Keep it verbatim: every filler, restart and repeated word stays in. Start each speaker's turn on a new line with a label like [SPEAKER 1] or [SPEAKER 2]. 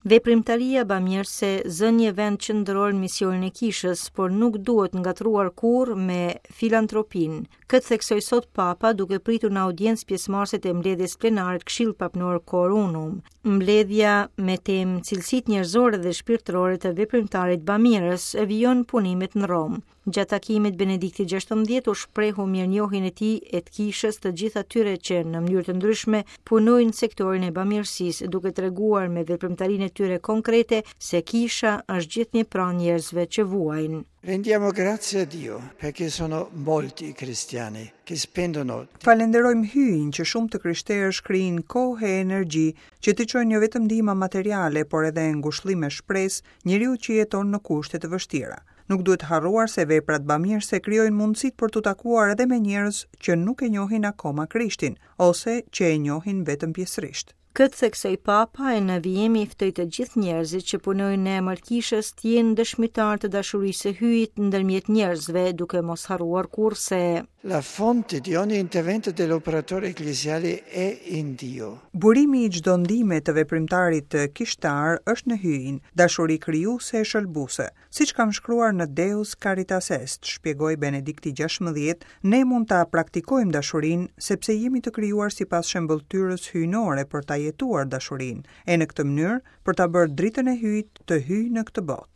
[SPEAKER 1] Veprimtaria bamirëse zë një vend qendror në misionin e kishës, por nuk duhet ngatërruar kurrë me filantropinë. Këtë theksoi sot Papa duke pritur në audiencë pjesëmarrësit e mbledhjes plenare të Këshillit Papnor Cor Unum. Mbledhja me temë cilësitë njerëzore dhe shpirtërore të veprimtarit bamirës e vijon punimet në Romë. Gjatë takimit, Benedikti gjashtëmbëdhjetë u shprehu mirënjohjen e tij e të kishës të gjithë atyre që në mënyrë të ndryshme punojnë në sektorin e bamirësisë, duke treguar me veprimtarinë e tyre konkrete se kisha është gjithnjë pranë njerëzve që vuajnë.
[SPEAKER 2] Rendiamo grazie a Dio perché sono molti i cristiani che spendono.
[SPEAKER 3] Falenderojmë Hyjin që shumë të krishterë shkrijnë kohë e energji që të çojnë jo vetëm ndihma materiale, por edhe ngushëllim e shpresë njeriu që jeton në kushte të vështira. Nuk duhet harruar se veprat bamirëse krijojnë mundësitë për t'u takuar edhe me njerëz që nuk e njohin akoma Krishtin ose që e njohin vetëm pjesërisht.
[SPEAKER 1] Këtë theksoi Papa e në vijim i ftoi të gjithë njerëzit që punojnë në emër kishës të jenë dëshmitar të dashurisë së Hyjit ndërmjet njerëzve, duke mos harruar kurrë se
[SPEAKER 2] La fonte di ogni intervento dell'operatore ecclesiale è in Dio.
[SPEAKER 3] Burimi i çdo ndihme të veprimtarit kishtar është në Hyjin, dashuri krijuese e shëlbuese. Siç kam shkruar në Deus Caritas Est, shpjegoi Benedikti gjashtëmbëdhjetë, ne mund ta praktikojmë dashurinë sepse jemi të krijuar sipas shëmbëlltyrës hyjnore për ta jetuar dashurinë, e në këtë mënyrë për ta bërë dritën e Hyjit të hyjë në këtë botë.